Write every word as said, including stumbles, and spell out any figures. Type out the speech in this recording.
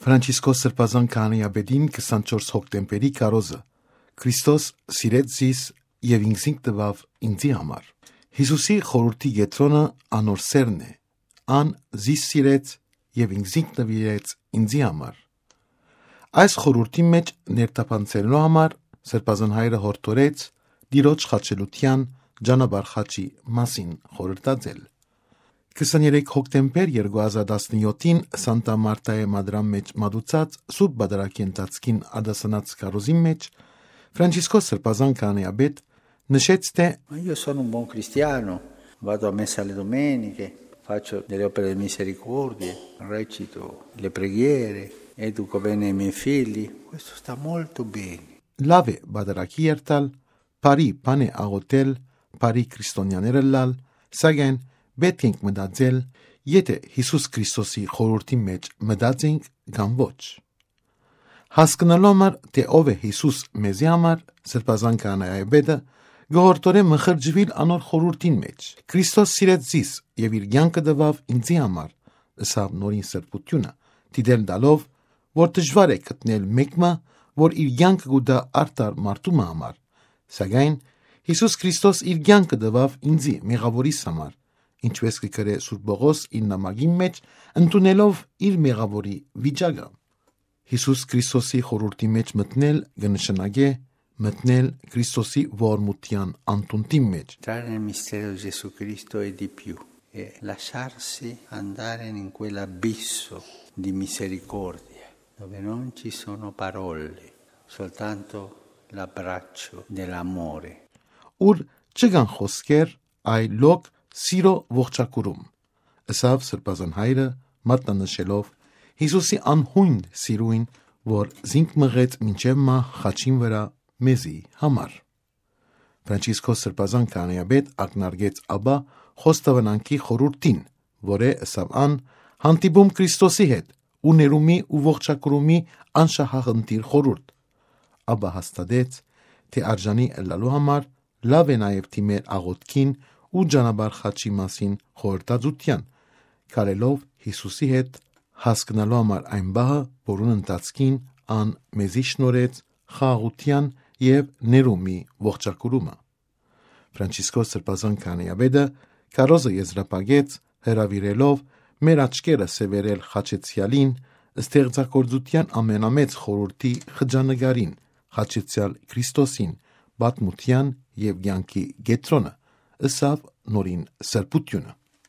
Ֆրանչիսկոս Սրբազան քահանայապետին քսանչորս հոկտեմբերի քարոզը. «Քրիստոս սիրեց զիս եւ ինքզինք տուաւ ինծի համար»։ Յիսուսի խորհուրդի կեդրոնը անոր սերն է։ «Ան զիս սիրեց եւ ինքզինք նուիրեց ինծի համար»։ Այս խորհուրդի մէջ ներթափանցելու համար Սրբազան հայրը հորդորեց Տիրոջ խաչելութեան ճանապարհ խաչի մասին խորհրդածել։ Քսաներեք հոկտեմբեր երկու հազար տասնյոթին Սանտա Մարտայէ Մադրան մէջ մատուցած Սուրբ Պատարագի ընթացքին արտասանած քարոզին մէջ Ֆրանչիսկոս Սրբազան քահանայապետ նշեց, թէ «Ma io sono un buon cristiano, vado a messa le domeniche, faccio delle opere di misericordia, recito le preghiere, educo bene i miei figli, questo sta molto bene». Լաւ է պատարագի երթալ, բարի բան է աղօթել, բարի քրիստոնեաներ ըլլալ, սակայն պէտք ենք մտածել, եթէ Յիսուս Քրիստոսի խորհուրդի մէջ մտած ենք կամ ոչ։ Հասկնալու համար, թէ ով է Յիսուս մեզի համար, Սրբազան քահանայապետը կը հորդորէ մխրճուիլ անոր խորհուրդին մէջ։ «Քրիստոս սիրեց զիս եւ իր կեանքը տուաւ ինծի համար», ըսաւ նորին սրբութիւնը, դիտել տալով, որ դժուար է գտնել մէկ մը, որ իր կեանքը կու տայ արդար մարդու մը համար։ Սակայն Յիսուս Քրիստոս իր կեանքը տուաւ ինծի, մեղաւորիս համար, ինչպէս կը գրէ Սուրբ Պողոս իր նամակին մէջ, ընդունելով իր մեղաւորի վիճակը։ Յիսուս Քրիստոսի խորհուրդի մէջ մտնել կը նշանակէ մտնել Քրիստոսի ողորմութեան անդունդին մէջ։ Entrare nel mistero di Gesù Cristo è di più, è lasciarsi andare in quell'abisso di misericordia, dove non ci sono parole, soltanto l'abbraccio dell'amore. Ուր չկան խօսքեր, այլ լոկ սիրո ողջակուրում, ըսաւ Սրբազան հայրը, մատնանշելով Յիսուսի անհուն սիրոյն, որ զինք մղեց մինչեւ մահ խաչին վրայ մեզի համար։ Ֆրանչիսկոս Սրբազան քահանայապետ ակնարկեց ապա խոստովանանքի խորհուրդին, որ է, ըսաւ ան, հանդիպում Քրիստոսի հետ ու ներումի ու ողջակուրումի անշահախնդիր խորհուրդ։ Ապա հաստատեց, թէ արժանի ըլլալու համար լաւ է նաեւ դիմել աղօթքին ու ճանապարհ խաչի մասին խորհրդածութեան, քալելով Յիսուսի հետ, հասկնալու համար այն պահը, որուն ընթացքին ան մեզի շնորհեց խաղաղութեան եւ ներումի ողջակուրումը։ Ֆրանչիսկոս Սրբազան քահանայապետը քարոզը եզրափակեց, հրաւիրելով մեր աչքերը սեւեռել խաչեցեալին, ստեղծագործութեան ամենամեծ խորհուրդի խճանկարին, խաչեցեալ Քրիստոսին, պատմութեան եւ կեանքի կեդրոնը, ըսաւ նորին սրբութիւնը։